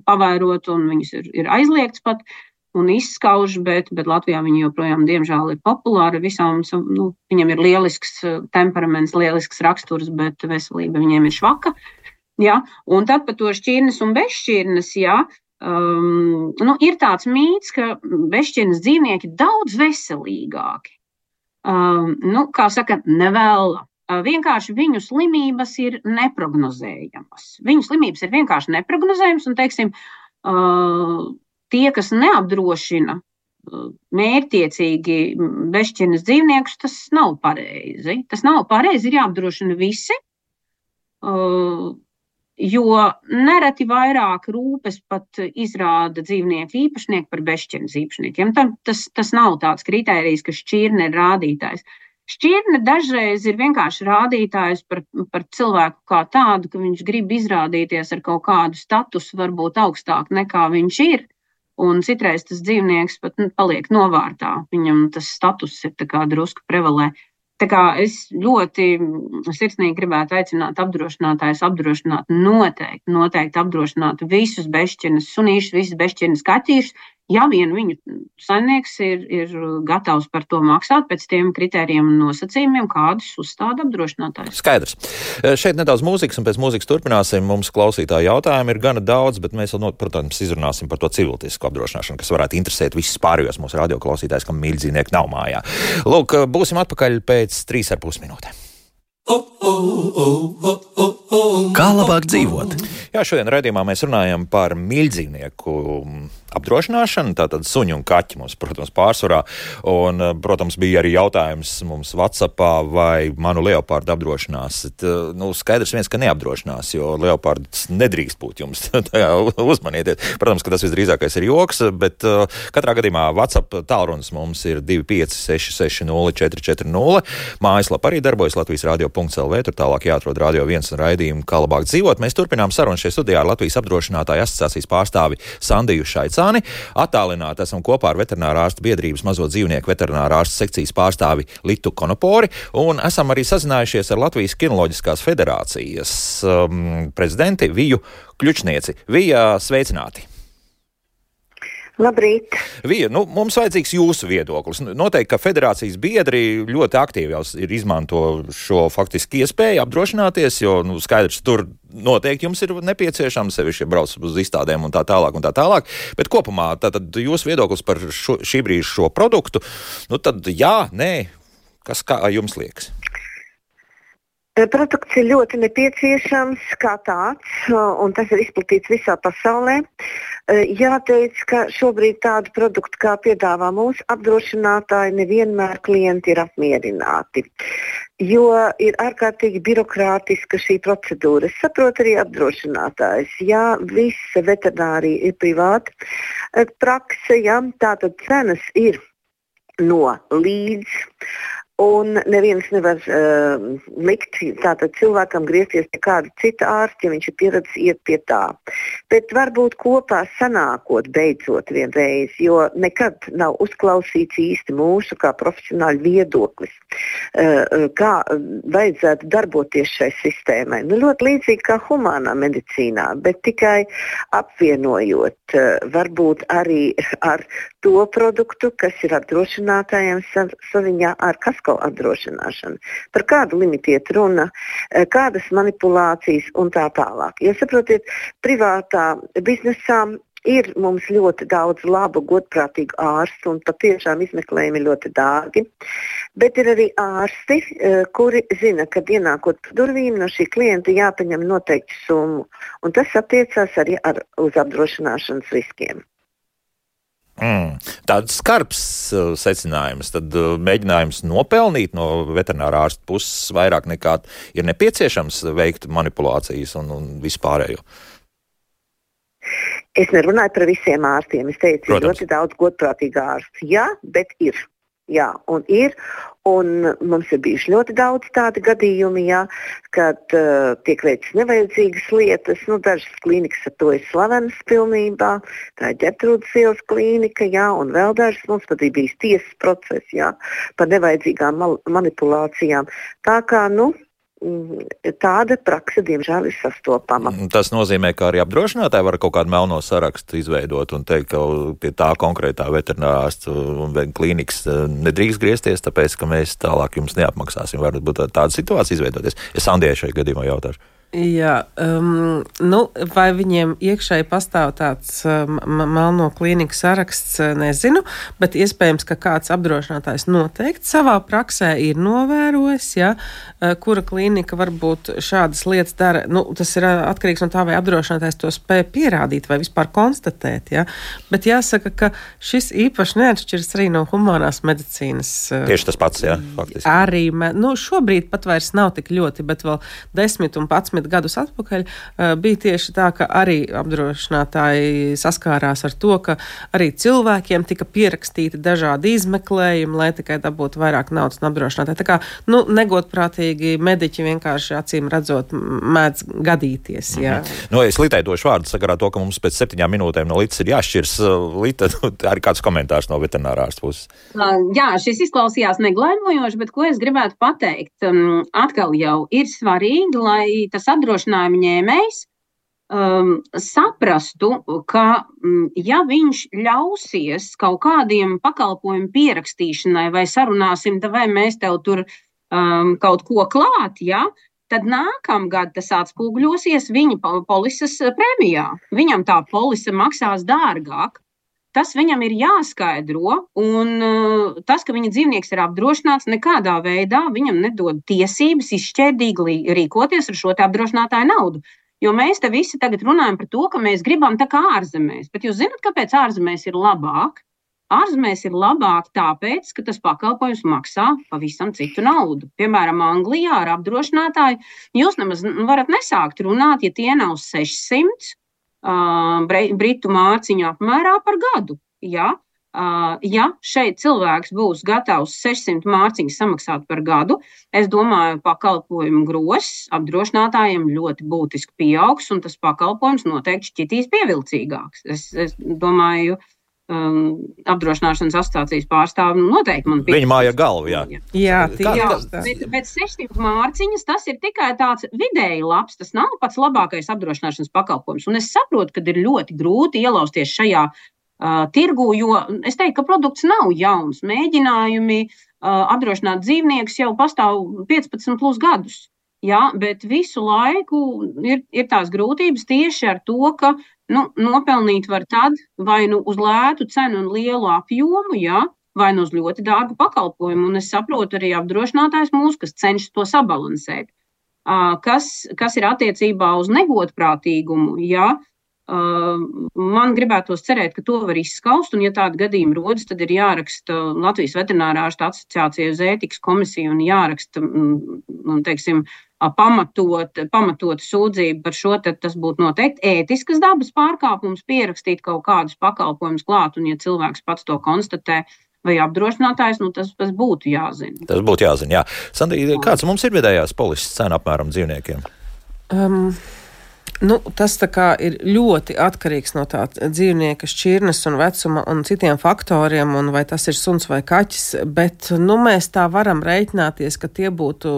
pavairot, un viņus ir aizliegts pat un izskauž, bet Latvijā viņi joprojām, diemžēl, ir populāri visām, viņiem ir lielisks temperaments, lielisks raksturs, bet veselība viņiem ir švaka. Jā, un tad par to šķirnes un bezšķirnes, jā, ir tāds mīts, ka bezšķirnes dzīvnieki daudz veselīgāki. Kā saka, nevēla. Vienkārši viņu slimības ir neprognozējamas. Viņu slimības ir vienkārši neprognozējamas, un, teiksim, tie, kas neapdrošina mērķtiecīgi bezšķirnes dzīvniekus, tas nav pareizi. Tas nav pareizi, ir jāapdrošina visi. Jo nereti vairāk rūpes pat izrāda dzīvnieku īpašnieki par bezšķirnes īpašniekiem. Tas nav tāds kritērijs, ka šķirne ir rādītājs. Šķirne dažreiz ir vienkārši rādītājs par cilvēku kā tādu, ka viņš grib izrādīties ar kaut kādu statusu, varbūt augstāk nekā viņš ir. Un citreiz tas dzīvnieks pat paliek novārtā. Viņam tas status ir tā kā drusku prevalē. Tā kā es ļoti sirsnīgi gribētu aicināt apdrošinātājus apdrošināt noteikti apdrošināt visus bezšķirnes sunīšus, visus bezšķirnes kaķīšus, ja vien viņu saimnieks ir gatavs par to maksāt pēc tiem kritērijiem un nosacījumiem, kādus uzstāda apdrošinātājs. Skaidrs. Šeit nedaudz mūzikas, un pēc mūzikas turpināsim. Mums klausītāju jautājumu ir gana daudz, bet mēs vēl, protams, izrunāsim par to civiltiesku apdrošināšanu, kas varētu interesēt visus pārējos mūsu radioklausītājus, kam mīļdzīvnieki nav mājā. Lūk, būsim atpakaļ pēc 3,5 minūtēm. Kā labāk dzīvot? Jā, šodien raidījumā mēs runājam par mīļdzīvnieku apdrošināšanu, tātad suņu un kaķi mums, protams, pārsvarā. Un, protams, bija arī jautājums mums WhatsAppā, vai manu leopardu apdrošinās. Skaidrs viens, ka neapdrošinās, jo leopards nedrīkst būt jums. Uzmanieties. Protams, ka tas visdrīzākais ir joks, bet katrā gadījumā WhatsApp tālrunis mums ir 25660 Mājaslapa arī darbojas Latvijas radio.lv, tur tālāk jāatrod Radio 1 un raidījumu Kā labāk dzīvot. Mēs turpinām sarunu šajā studijā ar Latvijas apdrošinātāju asociācijas pārstāvi Sandiju Šaicāni. Attālināti esam kopā ar veterinārā ārstu biedrības mazo dzīvnieku veterinārā ārstu sekcijas pārstāvi Litu Konopori un esam arī sazinājušies ar Latvijas kinoloģiskās federācijas prezidenti Viju Kļučnieci. Vija, sveicināti! Labrīt! Vija, mums vajadzīgs jūsu viedoklis. Noteikti, ka federācijas biedri ļoti aktīvi jau ir izmanto šo faktiski iespēju apdrošināties, jo skaidrs, tur noteikti jums ir nepieciešams, sevišķi brauc uz izstādēm un tā tālāk un tā tālāk. Bet kopumā tātad jūsu viedoklis par šī brīža šo produktu, tad jā, nē, kas kā jums liekas? Produkts ir ļoti nepieciešams kā tāds, un tas ir izplatīts visā pasaulē. Jāteic, ka šobrīd tādu produktu, kā piedāvā mūsu apdrošinātāji, nevienmēr klienti ir apmierināti, jo ir ārkārtīgi birokrātiska šī procedūra. Es saprotu arī apdrošinātājs. Jā, visa veterinārija ir privāta prakse, jā, tātad cenas ir no līdz. Un neviens nevar likt tātad cilvēkam griezties pie kāda cita ārsta, ja viņš ir pieredzējis iet pie tā. Bet varbūt kopā sanākot beidzot vienreiz, jo nekad nav uzklausīts īsti mūsu kā profesionāļu viedoklis, kā vajadzētu darboties šai sistēmai. Ļoti līdzīgi kā humānā medicīnā, bet tikai apvienojot varbūt arī ar to produktu, kas ir apdrošinātājiem saziņā ar kasko apdrošināšanu. Par kādu limitu iet runa, kādas manipulācijas un tā tālāk. Jo saprotiet, privātā biznesā ir mums ļoti daudz labu, godprātīgu ārstu un patiešām izmeklējumi ļoti dārgi. Bet ir arī ārsti, kuri zina, ka ienākot durvīm no šī klienta jāpaņem noteikti summu. Un tas attiecās arī uz apdrošināšanas riskiem. Tāds skarbs secinājums, tad mēģinājums nopelnīt no veterinārā ārsta puses vairāk nekā ir nepieciešams veikt manipulācijas un vispārējo. Es nerunāju par visiem ārstiem. Es teicu, ir ļoti daudz godprātīgu ārstu. Jā, bet ir. Jā, un ir. Un mums ir bijuši ļoti daudz tādi gadījumi, jā, kad tiek veikts nevajadzīgas lietas. Dažas klīnikas ar to ir slavenas pilnībā. Tā ir Ģertrūdes ielas klīnika, jā, un vēl dažas mums pat ir bijis tiesas process, jā, par nevajadzīgām manipulācijām. Tā kā, tāda praksa, diemžēl, ir sastopama. Tas nozīmē, ka arī apdrošinātāji var kaut kādu melno sarakstu izveidot un teikt, ka pie tā konkrētā veterinārārsta un klīnikas nedrīkst griezties, tāpēc, ka mēs tālāk jums neapmaksāsim. Var būt tāda situācija izveidoties. Es Sandijai šajā gadījumā jautāšu. Jā, vai viņiem iekšēji pastāv tāds melno klīniku saraksts, nezinu, bet iespējams, ka kāds apdrošinātājs noteikti savā praksē ir novērojis, ja, kura klīnika varbūt šādas lietas dara. Tas ir atkarīgs no tā, vai apdrošinātājs to spēj pierādīt vai vispār konstatēt, ja. Bet jāsaka, ka šis īpaši neatšķiras arī no humānās medicīnas. Tieši tas pats, jā, faktiski. Arī, šobrīd pat vairs nav tik ļoti, bet vēl 10 un 11 10 gadus atpakaļ bija tieši tā, ka arī apdrošinātāji saskārās ar to, ka arī cilvēkiem tika pierakstīti dažādi izmeklējumi, lai tikai dabūtu vairāk naudas un apdrošinātāji. Tā kā, negodprātīgi mediķi vienkārši acīm redzot mēdz gadīties. Jā. Es litētošu vārdu sakarā to, ka mums pēc 7 minūtēm no Litas ir jāšķirs. Lita, arī kāds komentārs no veterinārārsta puses. Jā, šis izklausījās neglaimojoši, bet ko es gribētu pateikt? Atkal jau ir svarīgi, lai tas apdrošinājuma ņēmējs saprastu, ka ja viņš ļausies kaut kādiem pakalpojumu pierakstīšanai vai sarunāsim, vai mēs tev tur kaut ko klāt, ja, tad nākamgad tas atspūgļosies viņa polises prēmijā. Viņam tā polise maksās dārgāk. Tas viņam ir jāskaidro, un tas, ka viņa dzīvnieks ir apdrošināts, nekādā veidā viņam nedod tiesības izšķērdīgi rīkoties ar šo te apdrošinātāju naudu. Jo mēs te visi tagad runājam par to, ka mēs gribam tā kā ārzemēs. Bet jūs zināt, kāpēc ārzemēs ir labāk? Ārzemēs ir labāk tāpēc, ka tas pakalpojums maksā pavisam citu naudu. Piemēram, Anglijā ar apdrošinātāju jūs nemaz varat nesākt runāt, ja tie nav 600 britu mārciņu apmērā par gadu. Ja šeit cilvēks būs gatavs 600 mārciņas samaksāt par gadu, es domāju, pakalpojumu gross apdrošinātājiem ļoti būtiski pieaugs, un tas pakalpojums noteikti šķitīs pievilcīgāks. Es domāju, apdrošināšanas asociācijas pārstāvi noteikti man piekrist. Viņa māja galva, jā. Bet 600 mārciņas tas ir tikai tāds vidēji labs, tas nav pats labākais apdrošināšanas pakalpojums. Un es saprotu, ka ir ļoti grūti ielausties šajā tirgu, jo es teiktu, ka produkts nav jauns. Mēģinājumi apdrošināt dzīvniekus jau pastāv 15 plus gadus. Jā, bet visu laiku ir tās grūtības tieši ar to, ka nopelnīt var tad vai uz lētu cenu un lielu apjomu, jā, vai uz ļoti dārgu pakalpojumu. Un es saprotu arī apdrošinātājs mūsu, kas cenšas to sabalansēt. Kas ir attiecībā uz negodprātīgumu, jā, man gribētos cerēt, ka to var izskaust, un ja tāda gadījuma rodas, tad ir jāraksta Latvijas veterinārārstu asociācija uz ētikas komisiju un jāraksta, teiksim, pamatot sūdzību par šo, tad tas būtu noteikti ētiskas dabas pārkāpums pierakstīt kaut kādus pakalpojumus klāt, un ja cilvēks pats to konstatē vai apdrošinātājs, tas būtu jāzina. Tas būtu jāzina, jā. Sandrija, kāds mums ir vidējās polises cena apmēram dzīvniekiem? Tas tā kā ir ļoti atkarīgs no tā dzīvnieka šķirnes un vecuma un citiem faktoriem, un vai tas ir suns vai kaķis, bet mēs tā varam reiķināties, ka tie būtu,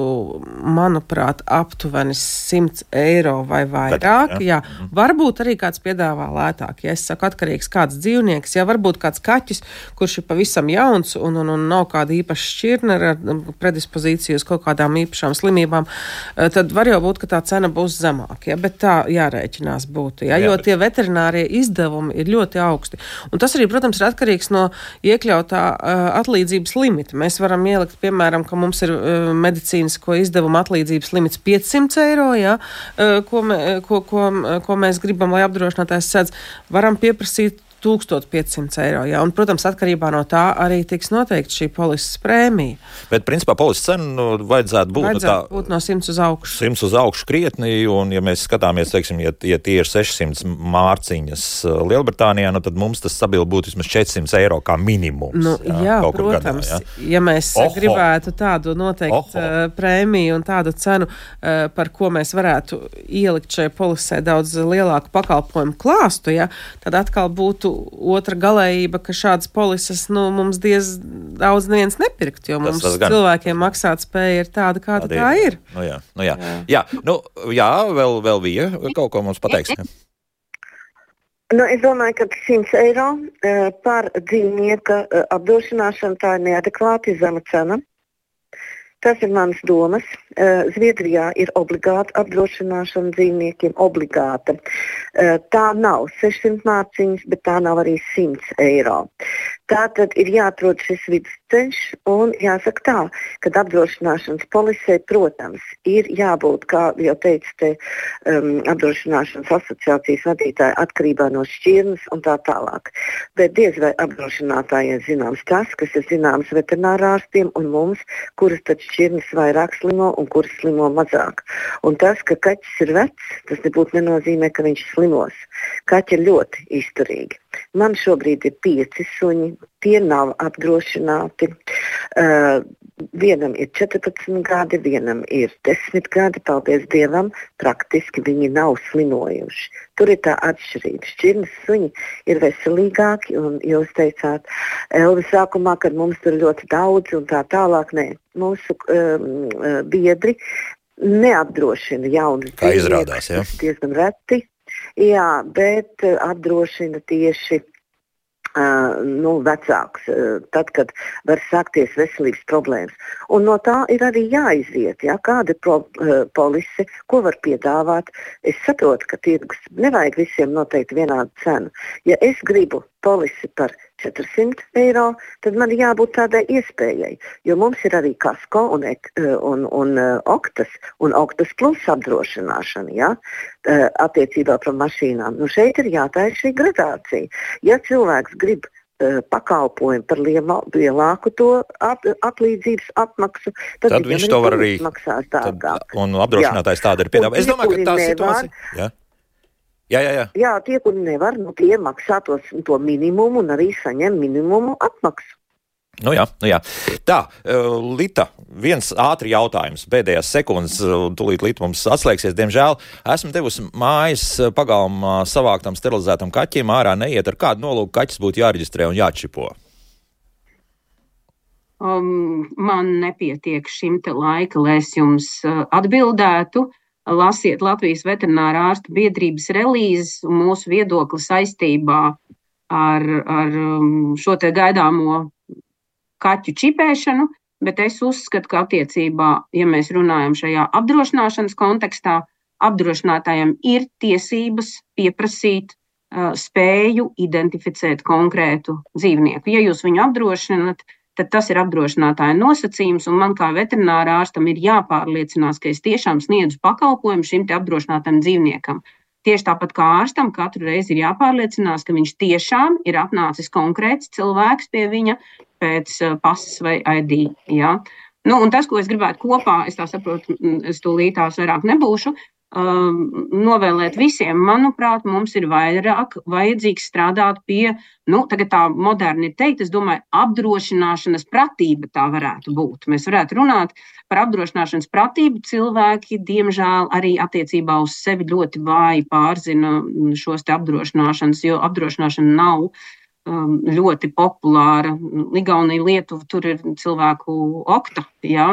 manuprāt, aptuveni 100 eiro vai vairāk. Jā. Varbūt arī kāds piedāvā lētāk. Ja es saku atkarīgs kāds dzīvnieks, ja varbūt kāds kaķis, kurš ir pavisam jauns un nav kāda īpaša šķirne ar predispozīciju uz kaut kādām īpašām slimībām, tad var jau būt, ka tā cena būs zemāka. Ja? Bet tā jārēķinās būtu, jo tie veterinārie izdevumi ir ļoti augsti. Un tas arī, protams, ir atkarīgs no iekļautā atlīdzības limita. Mēs varam ielikt, piemēram, ka mums ir medicīnisko izdevumu atlīdzības limits 500 eiro, ko mēs gribam, lai apdrošinātājs sedz. Varam pieprasīt 1500 eiro, jā. Un, protams, atkarībā no tā arī tiks noteikti šī polises prēmija. Bet, principā, polises cenu vajadzētu būt no 100 uz augšu. 100 uz augšu krietni, un, ja mēs skatāmies, teiksim, ja tie ir 600 mārciņas Lielbritānijā, tad mums tas stabilu būtu vismaz 400 eiro kā minimums. Jā, protams. Gadā, ja mēs gribētu tādu noteikti prēmiju un tādu cenu, par ko mēs varētu ielikt šai polisē daudz lielāku pakalpojumu klāstu, tad atkal būtu otra galējība, ka šādas polises mums daudz neviens nepirkt, jo mums cilvēkiem maksāt spēja ir tāda, kāda tā ir. Jā, vēl bija kaut ko mums pateiks. Es domāju, ka 100 eiro par dzīvnieka apdrošināšanu tā ir neadekvāti zema cena. Tas ir manas domas. Zviedrijā ir obligāta apdrošināšana dzīvniekiem, obligāta. Tā nav 600 mārciņas, bet tā nav arī 100 eiro. Tātad ir jāatrod šis vidusceļš un jāsaka tā, kad apdrošināšanas polisē, protams, ir jābūt, kā jau teica apdrošināšanas asociācijas vadītāja, atkarībā no šķirnes un tā tālāk. Bet diez vai apdrošinātājiem zināms tas, kas ir zināms veterinārārstiem un mums, kuras tad šķirnes vairāk slimo un kuras slimo mazāk. Un tas, ka kaķis ir vecs, tas nebūtu nenozīmē, ka viņš slimos. Kaķi ir ļoti izturīgi. Man šobrīd ir 5 suņi, tie nav apdrošināti. Vienam ir 14 gadi, vienam ir 10 gadi, paldies Dievam, praktiski viņi nav slimojuši. Tur ir tā atšķirība. Šķirnes suņi ir veselīgāki, un jūs teicāt, Elvi, sākumā, kad mums tur ļoti daudz un tā tālāk, nē. Mūsu biedri neapdrošina jaunus kā izrādās, ja? Diezgan reti. Jā, bet apdrošina tieši vecāks, tad, kad var sākties veselības problēmas. Un no tā ir arī jāiziet, ja, kāda ir polise, ko var piedāvāt. Es saprotu, ka tirgus nevajag visiem noteikti vienādu cenu. Ja es gribu polisi par 400 eiro, tad man jābūt tādai iespējai, jo mums ir arī kasko un oktas plus apdrošināšana, ja, attiecībā par mašīnām. Šeit ir jātaisa šī gradācija. Ja cilvēks grib pakalpojumu par lielāku to atlīdzības apmaksu, tad viņš to var arī maksās dārgāk. Un apdrošinātājs tāda ir piedāvā. Es domāju, ka tā situācija... Jā, tie, kuri nevar, tie maksā to minimumu un arī saņem minimumu apmaksu. Nu jā. Tā, Lita, viens ātri jautājums, pēdējās sekundes, tūlīt Lita mums atslēgsies, diemžēl. Esmu devusi mājas pagalmā savāktam sterilizētam kaķim, ārā neiet, ar kādu nolūku kaķis būtu jāreģistrē un jāčipo? Man nepietiek šim te laika, lai es jums atbildētu. Lasiet Latvijas veterinārā ārstu biedrības relīzes un mūsu viedokli saistībā ar šo te gaidāmo kaķu čipēšanu, bet es uzskatu, ka attiecībā, ja mēs runājam šajā apdrošināšanas kontekstā, apdrošinātājiem ir tiesības pieprasīt spēju identificēt konkrētu dzīvnieku. Ja jūs viņu apdrošināt, tad tas ir apdrošinātāja nosacījums, un man kā veterinārā ārstam ir jāpārliecinās, ka es tiešām sniedzu pakalpojumu šim te apdrošinātam dzīvniekam. Tieši tāpat kā ārstam katru reizi ir jāpārliecinās, ka viņš tiešām ir atnācis konkrēts cilvēks pie viņa pēc pasas vai ID. Ja? Un tas, ko es gribētu kopā, es tā saprotu, es tūlītās vairāk nebūšu, novēlēt visiem, manuprāt, mums ir vairāk vajadzīgs strādāt pie, tagad tā moderni ir teikt, es domāju, apdrošināšanas pratība tā varētu būt. Mēs varētu runāt par apdrošināšanas pratību. Cilvēki, diemžēl, arī attiecībā uz sevi ļoti vāji pārzina šos te apdrošināšanas, jo apdrošināšana nav ļoti populāra. Igaunija, Lietuva, tur ir cilvēku okta, ja,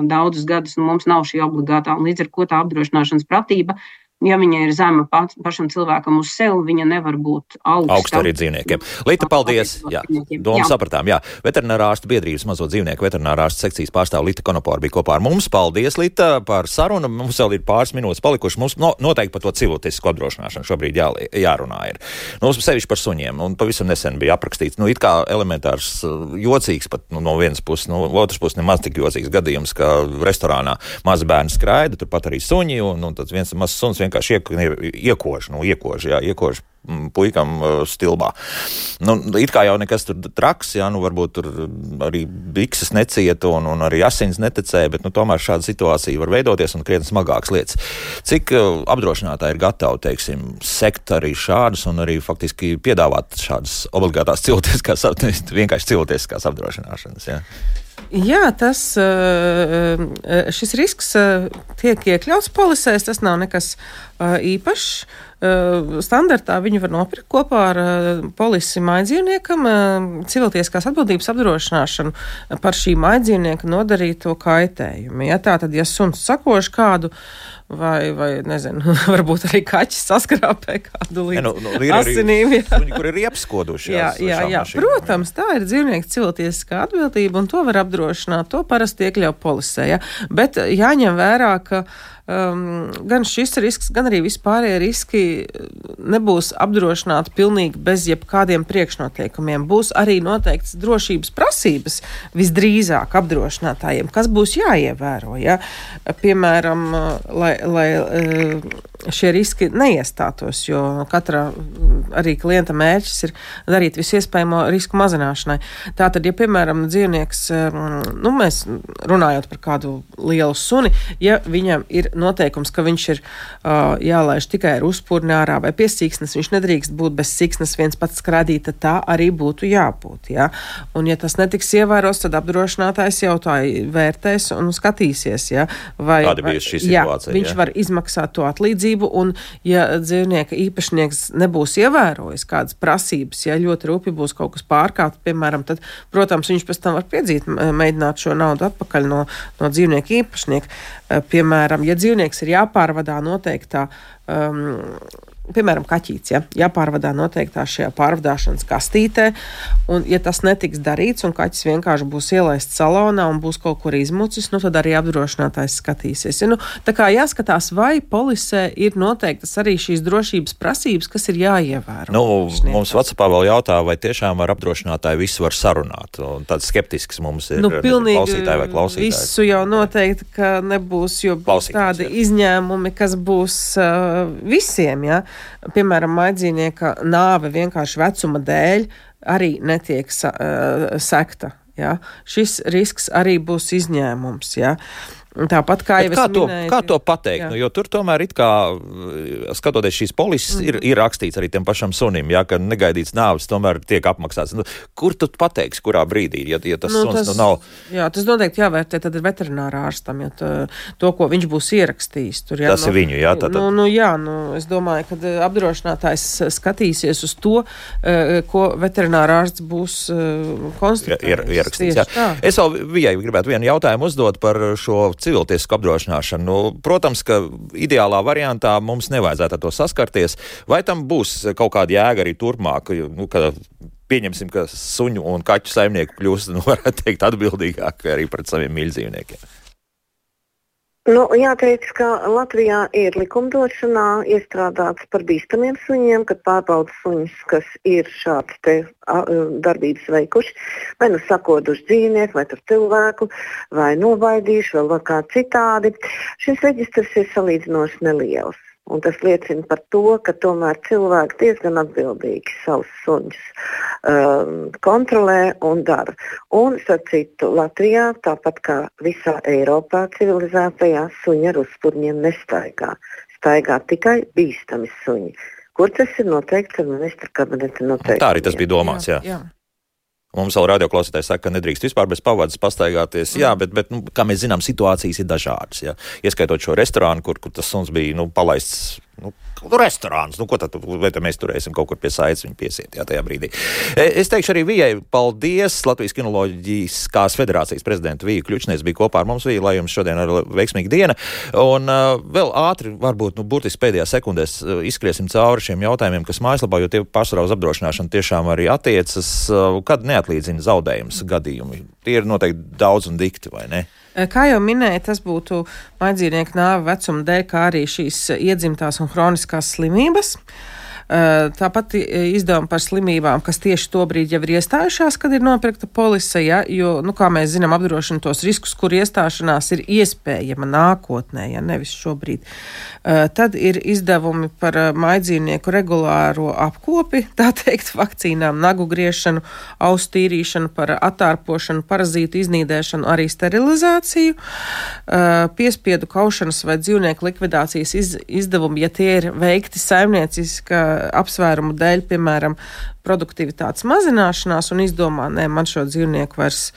daudzus gadus, un mums nav šī obligātā, un līdz ar ko tā apdrošināšanas pratība, ja viņa ir zema pašam cilvēkam uz sevi, viņa nevar būt augsta arī dzīvniekiem. Lita, paldies. Jā, domu sapratām. Jā. Veterinārā ārstu biedrības mazo dzīvnieku veterinārā ārstu sekcijas pārstāv Lita Konopora bija kopā ar mums. Paldies, Lita, par sarunu. Mums vēl ir pāris minūtes palikuši. Mums noteikti par to civiltisku apdrošināšanu šobrīd jārunā ir. Sevišķi par suņiem. Un pavisam nesen bija aprakstīts, it kā elementārs jocīgs, pat no vienas puses, no otras puses nemaz tik jocīgs gadījums, ka restorānā mazi bērni skraida, turpat arī suņi, un tad viens mazs suns vienkārši iekož puikam stilbā. It kā jau nekas tur traks, varbūt tur arī bikses necieta un arī asins netecēja, bet tomēr šāda situācija var veidoties un krietni smagākas lietas. Cik apdrošinātāji ir gatavi, sekt arī šādus un arī faktiski piedāvāt šādas obligātās cilvēciskās, vienkārši cilvēciskās apdrošināšanas, jā? Jā, šis risks tiek iekļauts polisēs, tas nav nekas īpašs. Standartā viņu var nopirkt kopā ar polisi mājdzīvniekam, civiltieskās atbildības apdrošināšanu par šī mājdzīvnieka nodarīto kaitējumu. Ja, tātad, ja suns sakož kādu vai nezinu, varbūt arī kaķis saskrāpē kādu līdz asinīm. Kur ir iepskoduši. Jā. Protams, tā ir dzīvnieka civiltieskā atbildība, un to var apdrošināt, to parasti iekļauj polisē. Ja? Bet jāņem vērā, ka gan šis risks, gan arī vispārējie riski nebūs apdrošināti pilnīgi bez jebkādiem priekšnoteikumiem. Būs arī noteikts drošības prasības visdrīzāk apdrošinātājiem, kas būs jāievēro. Ja? Piemēram, lai šie riski neiestātos, jo katra arī klienta mērķis ir darīt visu iespējamo risku mazināšanai. Tātad, ja, piemēram, dzīvnieks, mēs runājot par kādu lielu suni, ja viņam ir noteikums, ka viņš ir jālaiž tikai ar uzpurni ārā vai pie siksnes, viņš nedrīkst būt bez siksnes viens pats skrādīt, tad tā arī būtu jābūt. Ja? Un, ja tas netiks ievēros, tad apdrošinātājs jau tā vērtēs un skatīsies. Ja? Kāda bija šī situācija? Viņš var izmaksāt to atlīdzību, un, ja dzīvnieka īpašnieks nebūs ievērojis kādas prasības, ja ļoti rūpi būs kaut kas pārkāpts, piemēram, tad, protams, viņš pēc tam var mēģināt šo naudu atpakaļ no dzīvnieka īpašnieka. Piemēram, ja dzīvnieks ir jāpārvadā noteiktā, piemēram, kaķīts, ja, jāpārvadā noteiktā šajā pārvadāšanas kastītē, un ja tas netiks darīts, un kaķis vienkārši būs ielaists salonā un būs kaut kur izmucis, tad arī apdrošinātājs skatīsies. Ja, tā kā jāskatās, vai polisē ir noteiktas arī šīs drošības prasības, kas ir jāievēro. Mums WhatsAppā vēl jautā, vai tiešām ar apdrošinātāju visu var sarunāt, un tāds skeptisks mums ir klausītāji vai klausītāji. Visu jau noteikti, ka nebūs, jo būs tādi izņēmumi, kas būs visiem, ja. Piemēram, maidzīnieka nāve vienkārši vecuma dēļ arī netiek sekta. Ja? Šis risks arī būs izņēmums. Ja? Tāpat kā jau es minēju. Kā to pateikt? Jo tur tomēr it kā, skatoties šīs polises, ir rakstīts arī tiem pašam sunim, ja, ka negaidīts nāves tomēr tiek apmaksāts. Kur tu pateiksi, kurā brīdī, ja tas suns nav? Jā, tas noteikti jāvērtē tad ir veterinārā ārstam, ja to, ko viņš būs ierakstījis. Tur, ja, tas ir viņu, jā? Es domāju, ka apdrošinātājs skatīsies uz to, ko veterinārā ārsts būs konstatējis. Es vēl Vijai gribētu vienu jautājumu uzdot par šo civiltiesku apdrošināšanu. Protams, ka ideālā variantā mums nevajadzētu ar to saskarties. Vai tam būs kaut kāda jēga arī turpmāk, kad pieņemsim, ka suņu un kaķu saimnieku kļūst, varētu teikt, atbildīgāk arī pret saviem mīļdzīvniekiem? Jāteic, ka Latvijā ir likumdošanā iestrādāts par bīstamiem suņiem, kad pārbauda suņus, kas ir šāds te darbības veikuši, vai sakoduši dzīvnieku, vai tur cilvēku, vai nobaidījuši, vēl kā citādi. Šis reģistrs ir salīdzinoši neliels. Un tas liecina par to, ka tomēr cilvēki diezgan atbildīgi savus suņus kontrolē un dara. Un, starp citu, Latvijā, tāpat kā visā Eiropā civilizētajā, suņi ar uzpurņiem nestaigā. Staigā tikai bīstami suņi. Kur tas ir noteikts ar ministra kabineta noteikumiem? Tā arī tas bija domāts, jā. Mums vēl radioklausītājs saka, ka nedrīkst vispār bez pavadas pastaigāties. Jā, bet kā mēs zinām, situācijas ir dažādas. Jā. Ieskaitot šo restorānu, kur tas suns bija palaists. Restorāns, ko tad mēs turēsim kaut kur pie saites viņu piesiet, tajā brīdī. Es teikšu arī Vijai paldies. Latvijas Kinoloģiskās federācijas prezidenta Vija Kļučnieks bija kopā ar mums. Vija, lai jums šodien ir veiksmīga diena. Un vēl ātri, varbūt, burtiski pēdējā sekundēs izskriesim cauri šiem jautājumiem, kas mājaslapā, jo tie pārsvarā uz apdrošināšanu tiešām arī attiecas, kad neatlīdzina zaudējums gadījumi. Tie ir noteikti daudz un dikti, vai ne? Kā jau minēju, tas būtu maidzīnieku nāve vecuma dēļ, kā arī šīs iedzimtās un hroniskās slimības. Tāpat izdevumi par slimībām, kas tieši tobrīd jau ir iestājušās, kad ir nopirkta polise, ja, jo, kā mēs zinām, apdrošina tos riskus, kur iestāšanās ir iespējama nākotnē, ja nevis šobrīd. Tad ir izdevumi par maidzīnieku regulāro apkopi, tā teikt, vakcīnām, nagu griešanu, ausu tīrīšanu, par attārpošanu, parazītu iznīdēšanu, arī sterilizāciju, piespiedu kaušanas vai dzīvnieku likvidācijas izdevumi, ja tie ir veikti saimnieciska apsvērumu dēļ, piemēram, produktivitātes mazināšanās un izdomā, man šo dzīvnieku vairs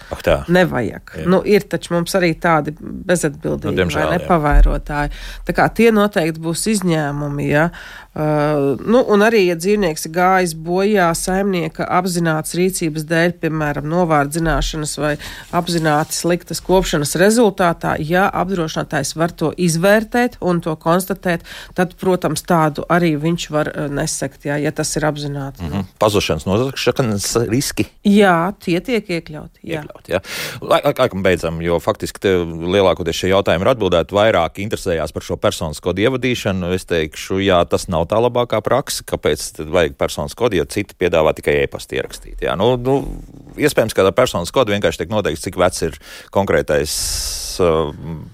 nevajag. Ir taču mums arī tādi bezatbildīgi vai nepavairotāji. Tā kā tie noteikti būs izņēmumi, ja. Un arī, ja dzīvnieks ir gājis bojā saimnieka apzināts rīcības dēļ, piemēram, novārdzināšanas vai apzināti sliktas kopšanas rezultātā, ja apdrošinātājs var to izvērtēt un to konstatēt, tad, protams, tādu arī viņš var nesekt, ja tas ir apzināti. nozašanas, nozagšanas riski? Jā, tie tiek iekļauti. Jā. Laikam beidzam, jo faktiski lielākoties šie jautājumi ir atbildēti, vairāk interesējās par šo personas kodu ievadīšanu. Es teikšu, jā, tas nav tā labākā praksa, kāpēc tad vajag personas kodu, jo citi piedāvā tikai e-pasti ierakstīt. Jā, iespējams, ka tā personas kodu vienkārši tiek noteikts, cik vecs ir konkrētais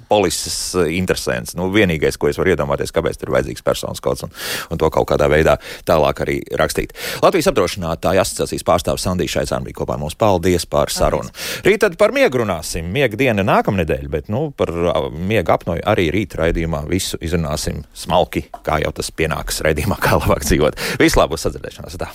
polises interesants. Vienīgais, ko es varu iedomāties, kāpēc ir vajadzīgs personas kods un to kaut kādā veidā tālāk arī rakstīt. Latvijas apdrošinātāju asociācijas pārstāvis Sandija Šaicāna bija kopā mums. Paldies par sarunu. Rīt tad par miegu runāsim. Miega diena nākamnedēļ, bet par miega apnoju arī rīt raidījumā visu izrunāsim smalki, kā jau tas pienāks raidījumā, kā labāk dzīvot. Vislabāk, uz sadzirdēšanos. Tā.